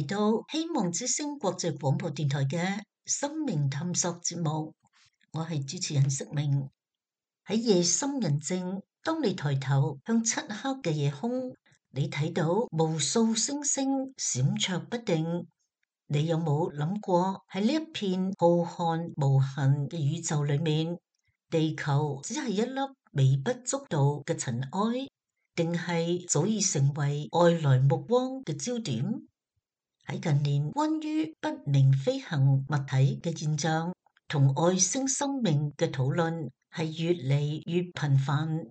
嚟到希望之聲國際廣播電台嘅生命探索節目，我係主持人色明。喺夜深人靜，當你抬頭向漆黑嘅夜空，你睇到無數星星閃爍不定。你有冇諗過喺呢一片浩瀚無垠嘅宇宙裏面，地球只係一粒微不足道嘅塵埃，定係早已成為外來目光嘅焦點？喺近年，關於不明飛行物體嘅現象同外星生命嘅討論係越嚟越頻繁。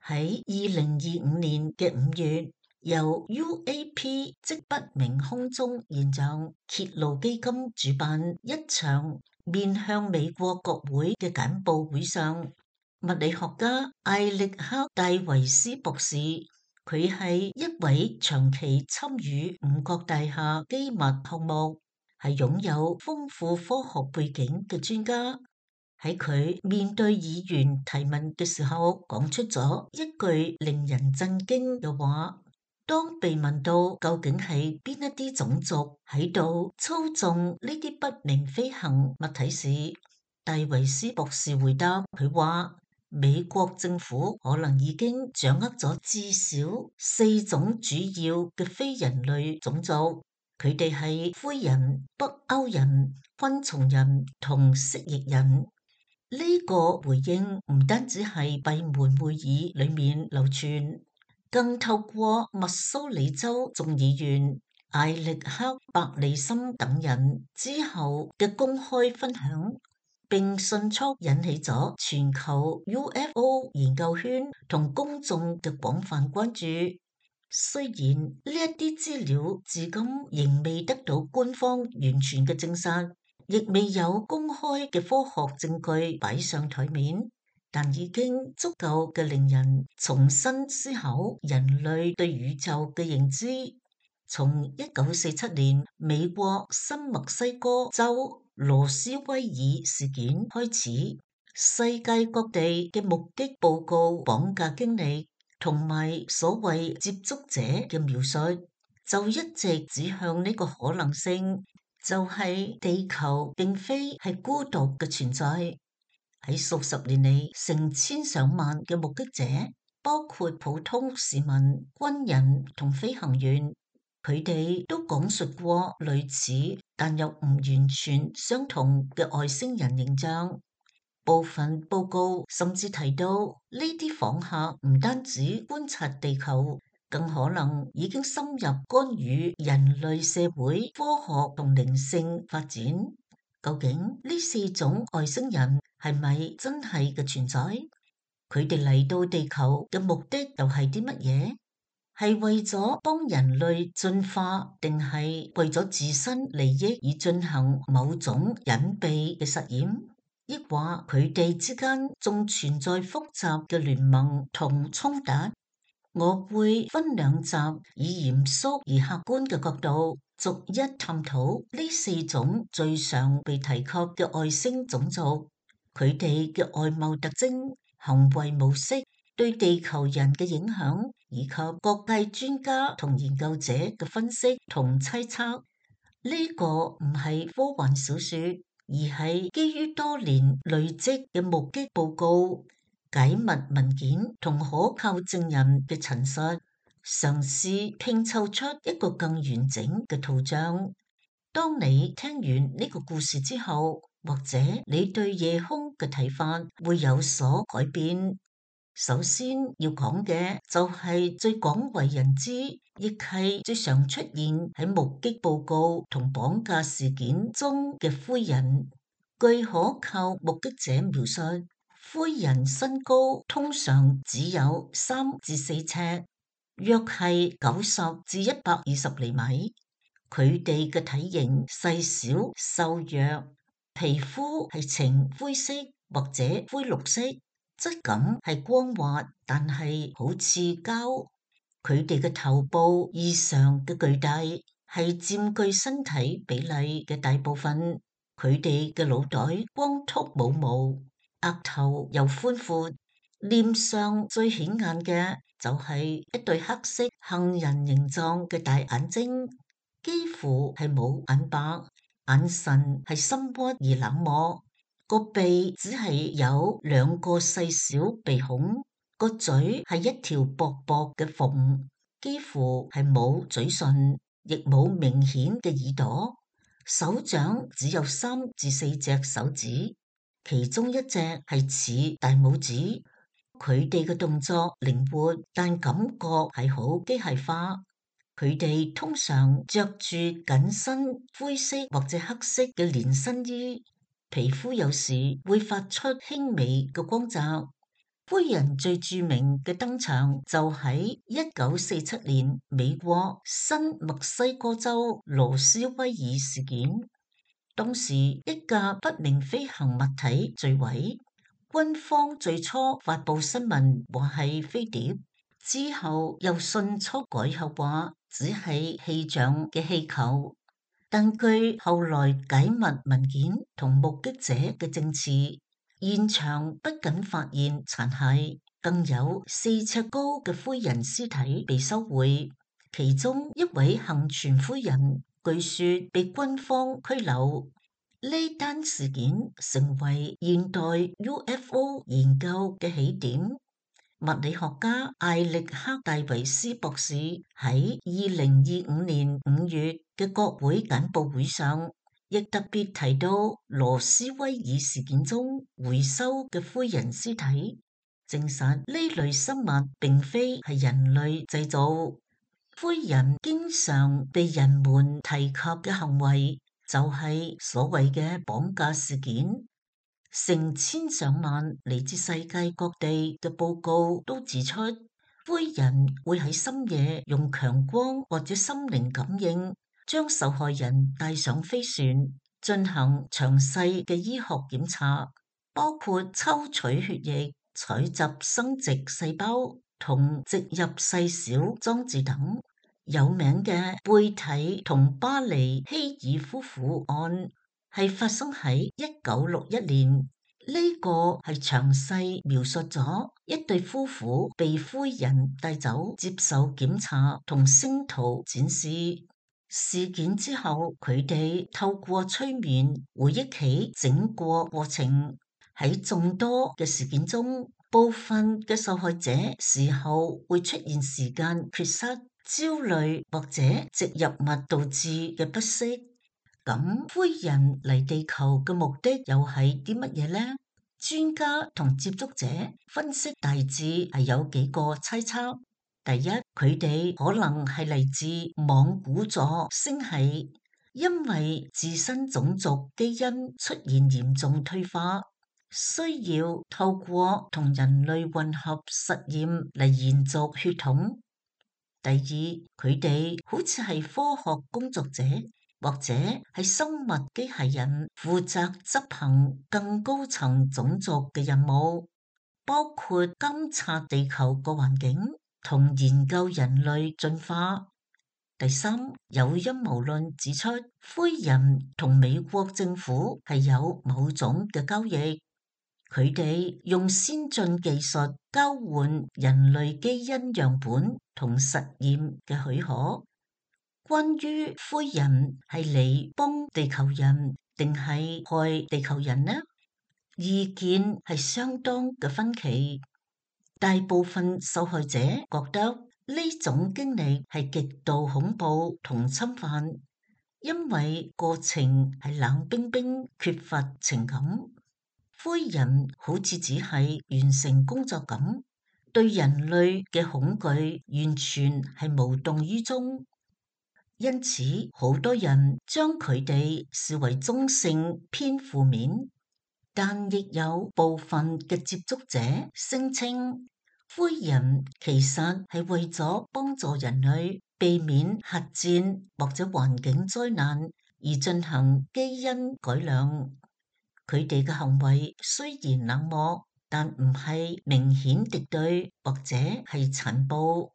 喺2025年嘅5月，由 UAP 即不明空中現象揭露基金主辦一場面向美國國會嘅簡報會上，物理學家艾力克戴維斯博士，佢係一位長期參與五角大廈機密項目，係擁有豐富科學背景嘅專家。喺佢面對議員提問嘅時候，講出咗一句令人震驚嘅話。當被問到究竟係邊一啲種族喺度操縱呢啲不明飛行物體時，戴維斯博士回答佢話：美國政府可能已經掌握咗至少4種主要嘅非人類種族，佢哋係灰人、北歐人、昆蟲人同蜥蜴人。呢個回應唔單止係閉門會議裏面流傳，更透過密蘇里州眾議員艾力克伯利森等人之後嘅公開分享，並迅速引起咗全球 UFO 研究圈同公眾嘅廣泛關注。雖然呢一啲資料至今仍未得到官方完全嘅證實，亦未有公開嘅科學證據擺上台面，但已經足夠嘅令人重新思考人類對宇宙嘅認知。從1947年美國新墨西哥州羅斯威爾事件開始，世界各地嘅目擊報告、綁架經歷同埋所謂接觸者嘅描述，就一直指向呢個可能性，就係地球並非係孤獨嘅存在。喺數十年嚟，成千上萬嘅目擊者，包括普通市民、軍人同飛行員，佢哋都講述過類似但又唔完全相同嘅外星人形象。部分報告甚至提到，呢啲訪客唔單止觀察地球，更可能已經深入干預人類社會、科學同靈性發展。究竟呢4種外星人係咪真係嘅存在？佢哋嚟到地球嘅目的又係啲乜嘢？係為咗幫人類進化，定係為咗自身利益而進行某種隱秘嘅實驗？抑或佢哋之間仲存在複雜嘅聯盟同衝突？我會分2集，以嚴肅而客觀嘅角度，逐一探討呢4種最常被提及嘅外星種族，佢哋嘅外貌特徵、行為模式、對地球人嘅影響，以及各界專家同研究者嘅分析同猜測。呢個唔係科幻小說，而係基於多年累積嘅目擊報告、解密文件同可靠證人嘅陳述，嘗試拼湊出一個更完整嘅圖像。當你聽完呢個故事之後，或者你對夜空嘅睇法會有所改變。首先要講嘅就係最廣為人知，亦係最常出現喺目擊報告同綁架事件中嘅灰人。據可靠目擊者描述，灰人身高通常只有3至4尺，約係90至120厘米。佢哋嘅體型細小瘦弱，皮膚係呈灰色或者灰綠色。質感係光滑，但係好似膠。佢哋嘅頭部異常嘅巨大，係佔據身體比例嘅大部分。佢哋嘅腦袋光禿冇毛，額頭又寬闊，臉上最顯眼嘅就係一對黑色杏仁形狀嘅大眼睛。幾乎係冇眼白，眼神係深鬱而冷漠，個鼻只係有2個細小鼻孔，個嘴係一條薄薄嘅縫，幾乎係冇嘴唇，亦冇明顯嘅耳朵。手掌只有3至4隻手指，其中一隻係似大拇指。佢哋嘅動作靈活，但感覺係好機械化。佢哋通常着住緊身灰色或者黑色嘅連身衣，皮膚有時會發出輕微嘅光澤。灰人最著名嘅登場就喺1947年美國新墨西哥州羅斯威爾事件，當時一架不明飛行物體墜毀，軍方最初發佈新聞話係飛碟，之後又迅速改口話只係氣象嘅氣球，但據後來解密文件同目擊者嘅證詞，現場不僅發現殘骸，更有4尺高嘅灰人屍體被收回，其中一位幸存灰人據說被軍方拘留。呢單事件成為現代 UFO 研究嘅起點。物理學家艾力克戴維斯博士喺2025年5月嘅國會簡報會上，亦特別提到羅斯威爾事件中回收嘅灰人屍體，證實呢類生物並非係人類製造。灰人經常被人們提及嘅行為就係所謂嘅綁架事件。成千上萬嚟自世界各地嘅報告都指出，灰人會喺深夜用強光或者心靈感應，將受害人帶上飛船，進行詳細嘅醫學檢查，包括抽取血液、採集生殖細胞同植入細小裝置等。有名嘅貝蒂同巴尼希爾夫婦案係發生喺1961年，呢個係詳細描述咗一對夫婦被灰人帶走接受檢查同星圖展示。事件之後，佢哋透過催眠回憶起整個過程。喺眾多嘅事件中，部分嘅受害者事後會出現時間缺失、焦慮或者植入物導致嘅不適。咁灰人嚟地球嘅目的又係啲乜嘢呢？專家同接觸者分析大致係有幾個猜測。第一，佢哋可能係嚟自莽古座星系，因為自身種族基因出現嚴重退化，需要透過同人類混合實驗嚟延續血統。第二，佢哋好似係科學工作者，或者係生物機械人，負責執行更高層種族嘅任務，包括監察地球個環境同研究人類進化。第三，有陰謀論指出，灰人同美國政府係有某種嘅交易，佢哋用先進技術交換人類基因樣本同實驗嘅許可。關於灰人係嚟幫地球人定係害地球人呢？意見係相當嘅分歧。大部分受害者覺得呢種經歷係極度恐怖同侵犯，因為過程係冷冰冰，缺乏情感。灰人好似只係完成工作咁，對人類嘅恐懼完全係無動於衷。因此，好多人將佢哋視為中性偏負面，但亦有部分嘅接觸者聲稱，灰人其實係為咗幫助人類避免核戰或者環境災難而進行基因改良。佢哋嘅行為雖然冷漠，但唔係明顯敵對或者係殘暴。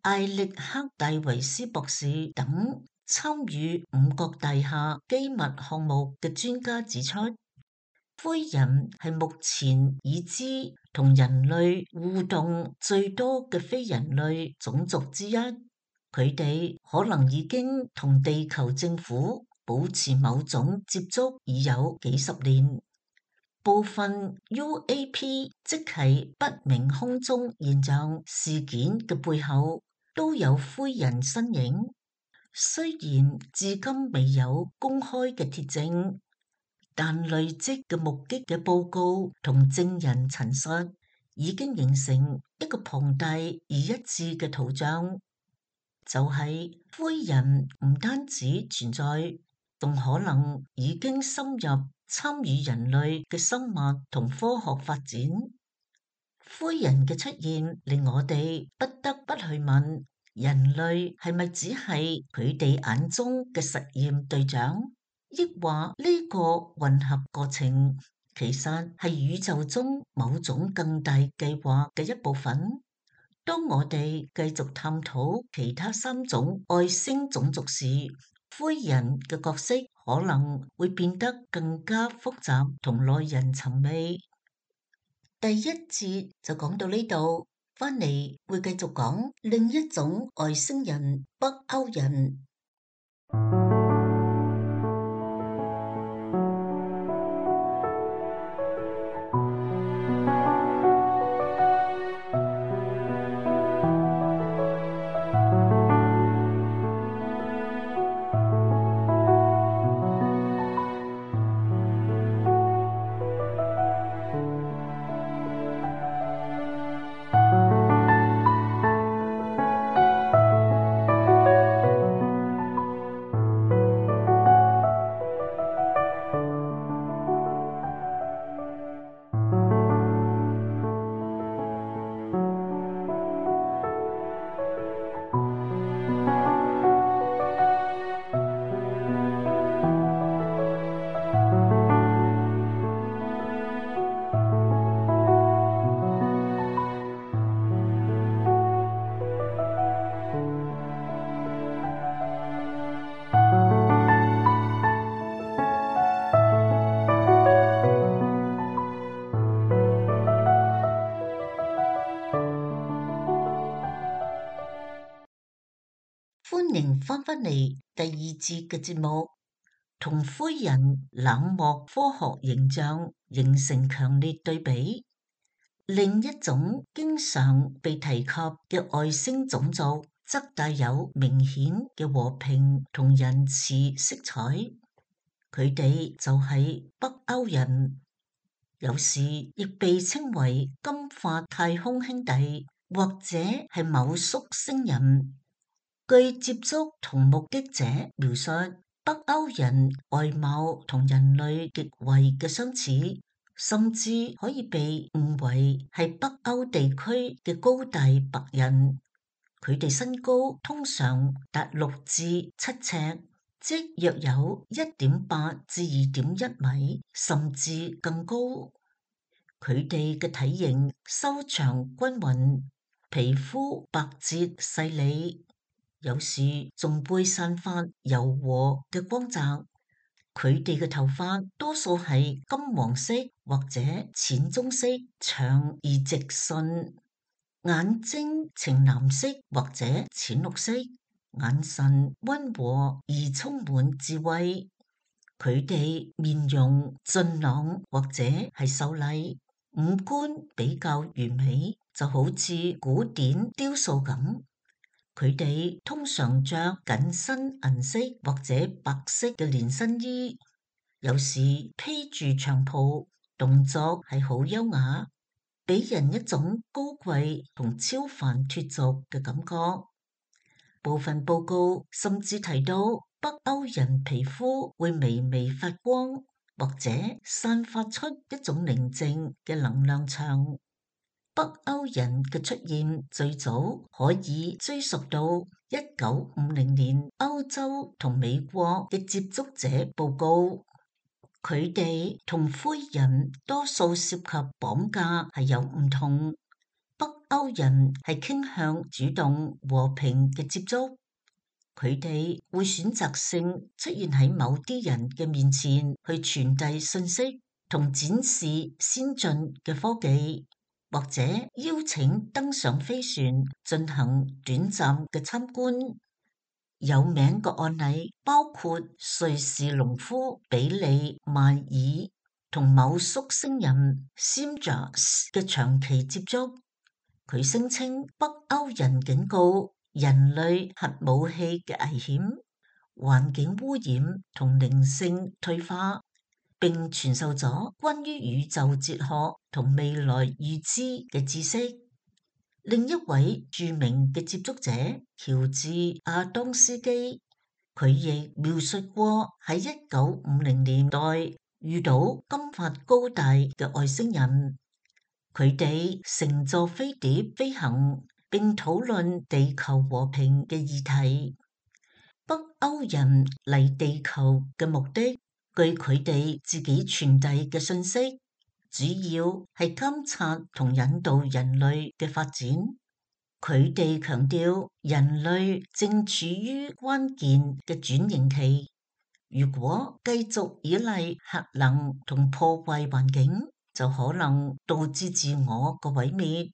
艾力克戴維斯博士等參與五角大廈機密項目嘅專家指出，灰人係目前已知同人類互動最多嘅非人類種族之一。佢佢哋可能已經同地球政府保持某種接觸已有幾十年。部分 UAP 即係不明空中現象事件嘅背後都有灰人身影，雖然至今未有公開嘅鐵證，但累積嘅目擊嘅報告同證人陳述已經形成一個龐大而一致嘅圖像，就係灰人唔單止存在，仲可能已經深入參與人類嘅生物同科學發展。灰人嘅出現令我哋不得不去問，人類係咪只係佢哋眼中嘅實驗對象？抑或呢個混合過程其實係宇宙中某種更大計劃嘅一部分？當我哋繼續探討其他3種外星種族時，灰人嘅角色可能會變得更加複雜同耐人尋味。第一節就講到呢度，返嚟會繼續講另一種外星人——北歐人。歡迎翻返嚟第二節嘅節目，同灰人冷漠科學形象形成強烈對比。另一種經常被提及嘅外星種族，則帶有明顯嘅和平同仁慈色彩。佢哋就係北歐人，有時亦被稱為金髮太空兄弟，或者係某宿星人。據接觸同目擊者描述，北歐人外貌同人類極為嘅相似，甚至可以被誤為係北歐地區嘅高大白人。佢哋身高通常達6至7尺，即約有1.8至2.1米，甚至更高。佢哋嘅體型修長均勻，皮膚白皙細膩，有時仲會散發柔和嘅光澤。佢哋嘅頭髮多數係金黃色或者淺棕色，長而直順，眼睛呈藍色或者淺綠色，眼神溫和而充滿智慧。佢哋面容俊朗或者係秀麗，五官比較完美，就好似古典雕塑咁。佢哋通常着緊身銀色或者白色嘅連身衣，有時披住長袍，動作係好優雅，俾人一種高貴同超凡脫俗嘅感覺。部分報告甚至提到北歐人皮膚會微微發光，或者散發出一種寧靜嘅能量場。北歐人嘅出現最早可以追溯到1950年歐洲同美國嘅接觸者報告，佢哋同灰人多數涉及綁架係有唔同。北歐人係傾向主動和平嘅接觸，佢哋會選擇性出現喺某啲人嘅面前去傳遞信息同展示先進嘅科技，或者邀請登上飛船進行短暫嘅參觀。有名嘅案例包括瑞士農夫比利邁爾同某宿星人 Simjas 嘅長期接觸。佢聲稱北歐人警告人類核武器嘅危險、環境污染同靈性退化，並傳授咗關於宇宙哲學同未來預知嘅知識。另一位著名嘅接觸者喬治亞當斯基，佢亦描述過喺1950年代遇到金髮高大嘅外星人，佢哋乘坐飛碟飛行並討論地球和平嘅議題。北歐人嚟地球嘅目的，據佢哋自己傳遞嘅信息，主要係監察同引導人類嘅發展。佢哋強調人類正處於關鍵嘅轉型期，如果繼續依賴核能同破壞環境，就可能導致自我嘅毀滅。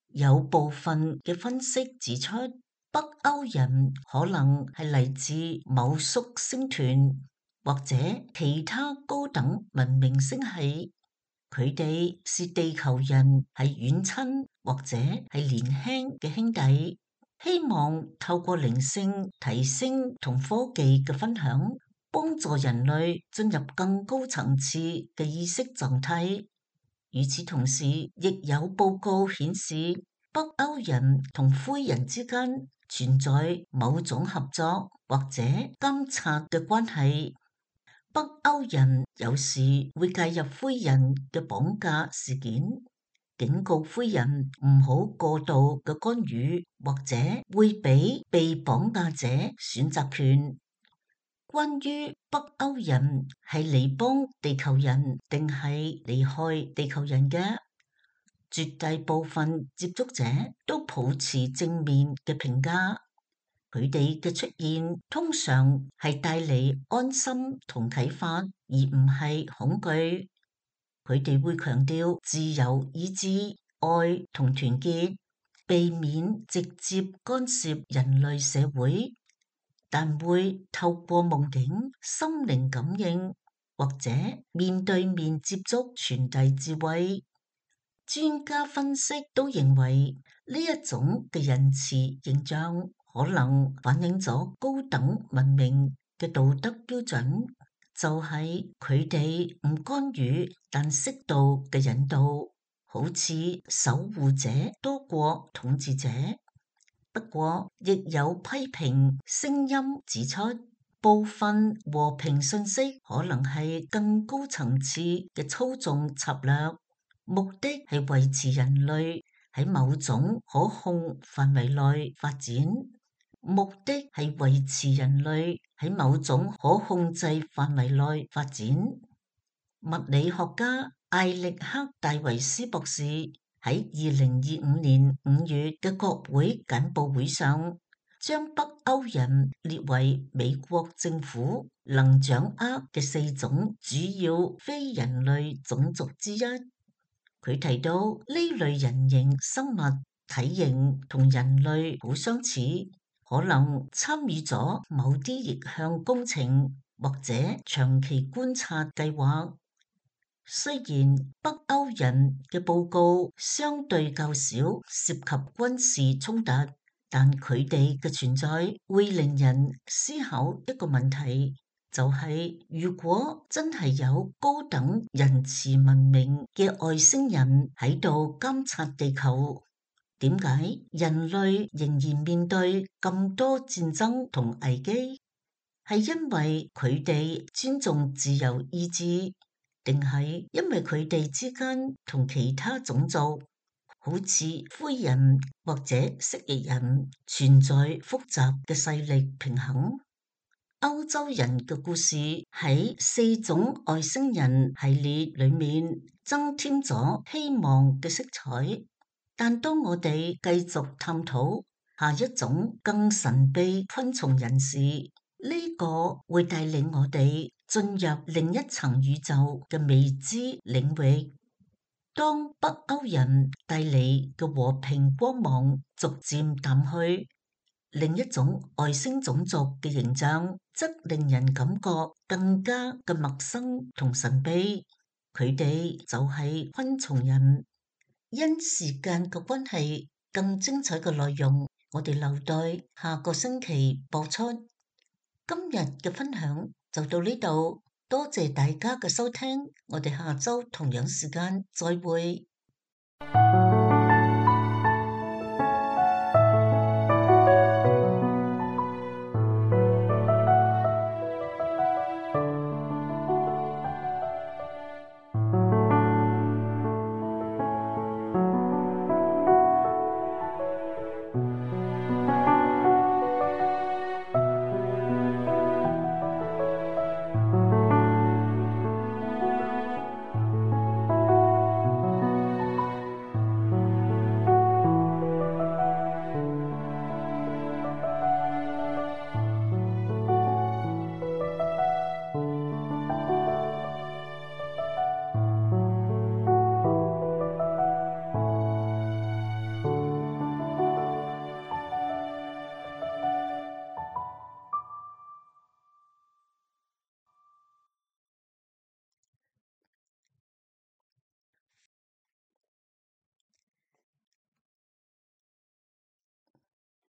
有部分嘅分析指出，北歐人可能係嚟自某宿星團或者其他高等文明星系，佢哋是地球人係遠親或者係年輕嘅兄弟，希望透過靈性提升同科技嘅分享，幫助人類進入更高層次嘅意識狀態。與此同時，亦有報告顯示，北歐人同灰人之間存在某種合作或者監察嘅關係。北歐人有時會介入灰人嘅綁架事件，警告灰人唔好過度嘅干預，或者會俾被綁架者選擇權。關於北歐人係嚟幫地球人定係嚟害地球人嘅，絕大部分接觸者都抱持正面嘅評價。佢哋嘅出現通常係帶嚟安心同啟發，而唔係恐懼。佢哋會強調自由意志、愛同團結，避免直接干涉人類社會，但會透過夢境、心靈感應或者面對面接觸傳遞智慧。專家分析都認為呢一種嘅仁慈形象可能反映咗高等文明嘅道德標準，就係佢哋唔干預，但適度嘅引導，好似守護者多過統治者。不過，亦有批評聲音指出，部分和平信息可能係更高層次嘅操縱策略，目的係維持人類喺某種可控範圍內發展。目的係維持人類喺某種可控制範圍內發展。物理學家艾力克戴維斯博士喺2025年5月嘅國會簡報會上，將北歐人列為美國政府能掌握嘅4種主要非人類種族之一。佢提到呢類人形生物體型同人類好相似，可能參與咗某啲逆向工程或者長期觀察計劃。雖然北歐人嘅報告相對較少涉及軍事衝突，但佢哋嘅存在會令人思考一個問題，就係如果真係有高等仁慈文明嘅外星人喺度監察地球，點解人類仍然面對咁多戰爭同危機？係因為佢哋尊重自由意志，定係因為佢哋之間同其他種族，好似灰人或者蜥蜴人存在複雜嘅勢力平衡？歐洲人嘅故事喺4種外星人系列裏面增添咗希望嘅色彩，但當我哋繼續探討下一種更神秘昆蟲人時，呢個會帶領我哋進入另一層宇宙嘅未知領域。當北歐人帶嚟嘅和平光芒逐漸淡去，另一種外星種族嘅形象，則令人感覺更加嘅陌生同神秘。佢哋就係昆蟲人。因時間嘅關係，更精彩嘅內容，我哋留待下個星期播出。今日嘅分享就到呢度，多謝大家嘅收聽，我哋下周同樣時間再會。